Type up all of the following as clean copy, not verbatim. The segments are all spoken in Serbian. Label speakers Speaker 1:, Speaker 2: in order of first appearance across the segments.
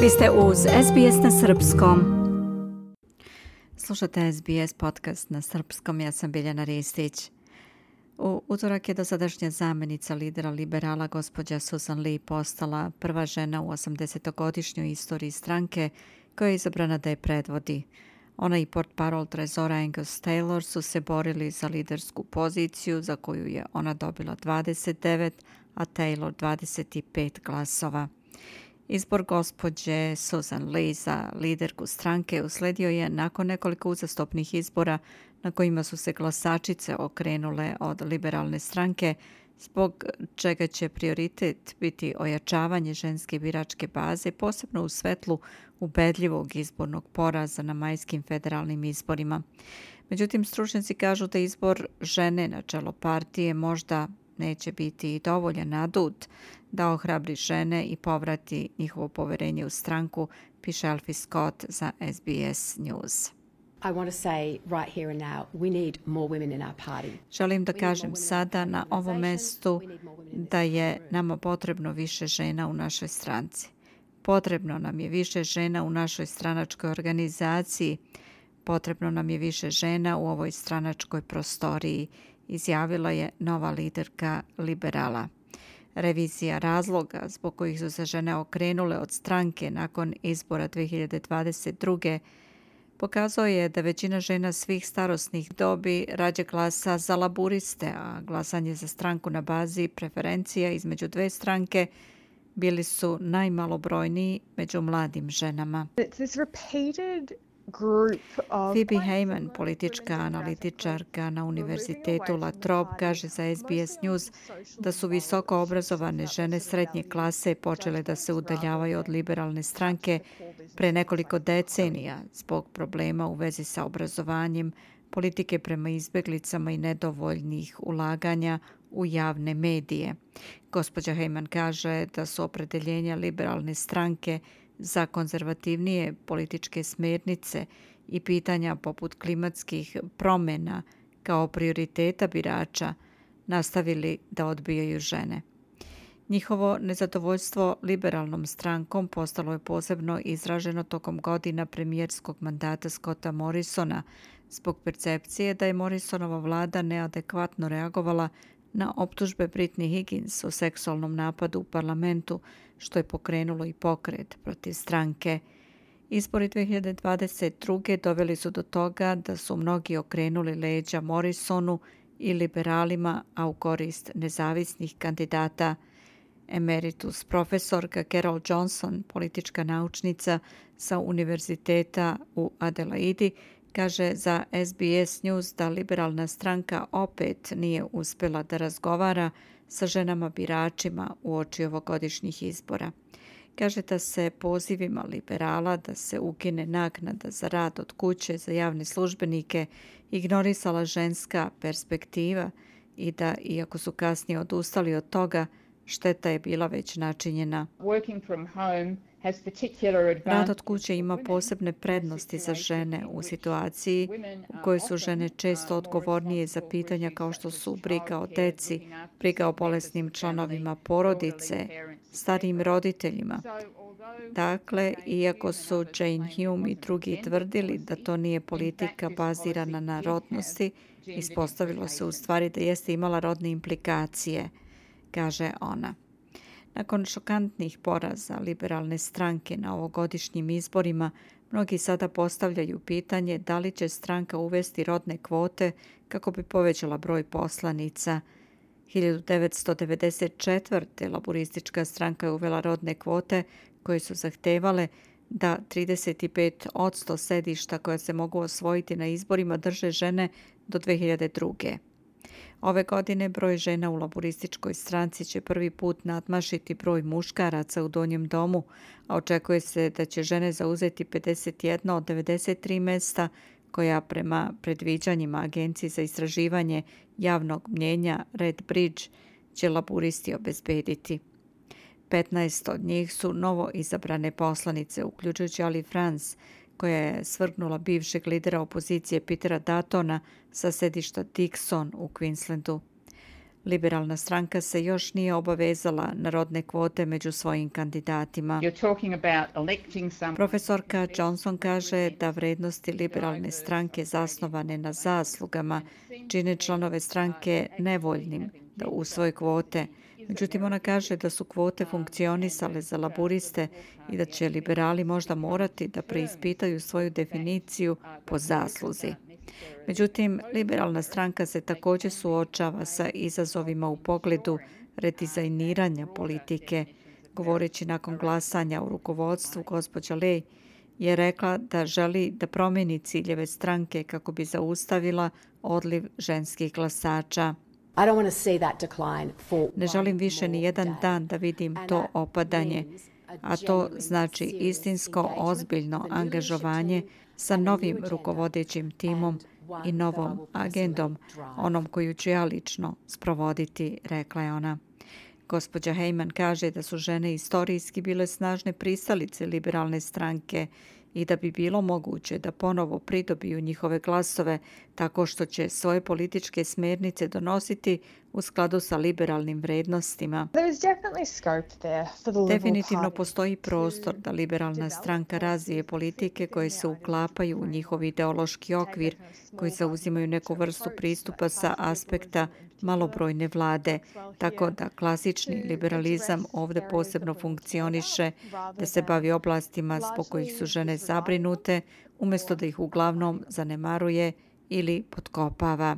Speaker 1: Vi ste uz SBS na srpskom. Slušate SBS podcast na srpskom, ja sam Biljana Ristić. U utorak je dosadašnja zamjenica lidera liberala gospođa Susan Lee postala prva žena u 80-godišnjoj istoriji stranke koja je izabrana da je predvodi. Ona i portparol trezora Angus Taylor su se borili za lidersku poziciju za koju je ona dobila 29, a Taylor 25 glasova. Izbor gospođe Susan Lee za liderku stranke usledio je nakon nekoliko uzastopnih izbora na kojima su se glasačice okrenule od liberalne stranke, zbog čega će prioritet biti ojačavanje ženske biračke baze, posebno u svetlu ubedljivog izbornog poraza na majskim federalnim izborima. Međutim, stručnjaci kažu da izbor žene na čelo partije možda neće biti dovoljan adut da ohrabri žene i povrati njihovo poverenje u stranku, piše Alfie Scott za SBS News. Želim da kažem sada na ovom mestu da je nama potrebno više žena u našoj stranci. Potrebno nam je više žena u našoj stranačkoj organizaciji. Potrebno nam je više žena u ovoj stranačkoj prostoriji, izjavila je nova liderka liberala. Revizija razloga zbog kojih su se žene okrenule od stranke nakon izbora 2022. pokazao je da većina žena svih starosnih dobi rađe glasa za laburiste, a glasanje za stranku na bazi preferencija između dve stranke bili su najmalobrojniji među mladim ženama. Phoebe Heyman, politička analitičarka na Univerzitetu La Trobe, kaže za SBS News da su visoko obrazovane žene srednje klase počele da se udaljavaju od liberalne stranke pre nekoliko decenija zbog problema u vezi sa obrazovanjem, politike prema izbeglicama i nedovoljnih ulaganja u javne medije. Gospođa Heyman kaže da su opredeljenja liberalne stranke za konzervativnije političke smjernice i pitanja poput klimatskih promjena kao prioriteta birača nastavili da odbijaju žene. Njihovo nezadovoljstvo liberalnom strankom postalo je posebno izraženo tokom godina premijerskog mandata Scotta Morrisona zbog percepcije da je Morrisonova vlada neadekvatno reagovala na optužbe Britney Higgins o seksualnom napadu u parlamentu, što je pokrenulo i pokret protiv stranke. Izbori 2022. doveli su do toga da su mnogi okrenuli leđa Morrisonu i liberalima, a u korist nezavisnih kandidata. Emeritus profesorka Carol Johnson, politička naučnica sa Univerziteta u Adelaidi, kaže za SBS News da liberalna stranka opet nije uspjela da razgovara sa ženama biračima uoči ovogodišnjih izbora. Kaže da se pozivima liberala da se ukine naknada za rad od kuće za javne službenike ignorisala ženska perspektiva i da, iako su kasnije odustali od toga, šteta je bila već načinjena. Rad od kuće ima posebne prednosti za žene u situaciji u kojoj su žene često odgovornije za pitanja kao što su briga o deci, briga o bolesnim članovima porodice, starijim roditeljima. Dakle, iako su Jane Hume i drugi tvrdili da to nije politika bazirana na rodnosti, ispostavilo se u stvari da jeste imala rodne implikacije, kaže ona. Nakon šokantnih poraza liberalne stranke na ovogodišnjim izborima, mnogi sada postavljaju pitanje da li će stranka uvesti rodne kvote kako bi povećala broj poslanica. 1994. laburistička stranka je uvela rodne kvote koje su zahtevale da 35% sedišta koja se mogu osvojiti na izborima drže žene do 2002. Ove godine broj žena u laburističkoj stranci će prvi put nadmašiti broj muškaraca u donjem domu, a očekuje se da će žene zauzeti 51 od 93 mjesta koja prema predviđanjima Agencije za istraživanje javnog mnjenja Red Bridge će laburisti obezbediti. 15 od njih su novo izabrane poslanice, uključujući Ali France, koja je svrgnula bivšeg lidera opozicije Petera Duttona sa sedišta Dixon u Queenslandu. Liberalna stranka se još nije obavezala na rodne kvote među svojim kandidatima. Profesorka Johnson kaže da vrednosti liberalne stranke zasnovane na zaslugama čine članove stranke nevoljnim da usvoje kvote. Međutim, ona kaže da su kvote funkcionisale za laburiste i da će liberali možda morati da preispitaju svoju definiciju po zasluzi. Međutim, liberalna stranka se također suočava sa izazovima u pogledu redizajniranja politike. Govoreći nakon glasanja u rukovodstvu, gospođa Ley je rekla da želi da promijeni ciljeve stranke kako bi zaustavila odliv ženskih glasača. Ne želim više ni jedan dan da vidim to opadanje, a to znači istinsko, ozbiljno angažovanje sa novim rukovodećim timom i novom agendom, onom koju ću ja lično sprovoditi, rekla je ona. Gospođa Heyman kaže da su žene istorijski bile snažne pristalice liberalne stranke i da bi bilo moguće da ponovo pridobiju njihove glasove tako što će svoje političke smjernice donositi u skladu sa liberalnim vrednostima. Definitivno postoji prostor da liberalna stranka razvije politike koje se uklapaju u njihov ideološki okvir, koji zauzimaju neku vrstu pristupa sa aspekta malobrojne vlade, tako da klasični liberalizam ovdje posebno funkcioniše, da se bavi oblastima zbog kojih su žene zabrinute, umjesto da ih uglavnom zanemaruje ili potkopava.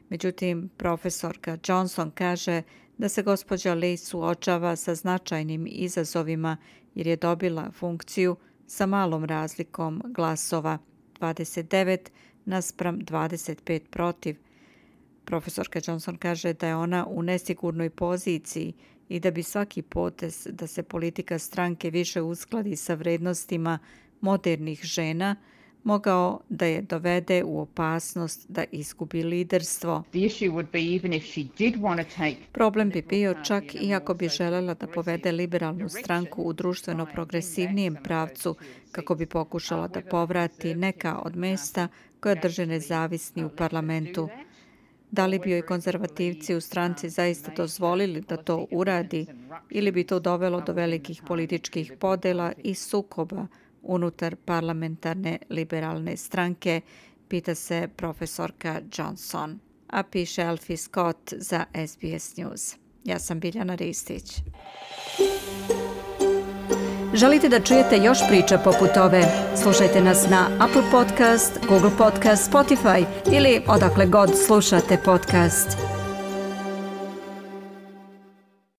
Speaker 1: Međutim, profesorka Johnson kaže da se gospođa Ley suočava sa značajnim izazovima jer je dobila funkciju sa malom razlikom glasova, 29 naspram 25 protiv. Profesorka Johnson kaže da je ona u nesigurnoj poziciji i da bi svaki potez da se politika stranke više uskladi sa vrednostima modernih žena mogao da je dovede u opasnost da izgubi liderstvo. Problem bi bio čak i ako bi želela da povede liberalnu stranku u društveno progresivnijem pravcu kako bi pokušala da povrati neka od mjesta koja drže nezavisni u parlamentu. Da li bi joj konzervativci u stranci zaista dozvolili da to uradi ili bi to dovelo do velikih političkih podela i sukoba unutar parlamentarne liberalne stranke, pita se profesorka Johnson. A piše Alfie Scott za SBS News. Ja sam Biljana Ristić.
Speaker 2: Želite da čujete još priča poput ove? Slušajte nas na Apple Podcast, Google Podcast, Spotify ili odakle god slušate podcast.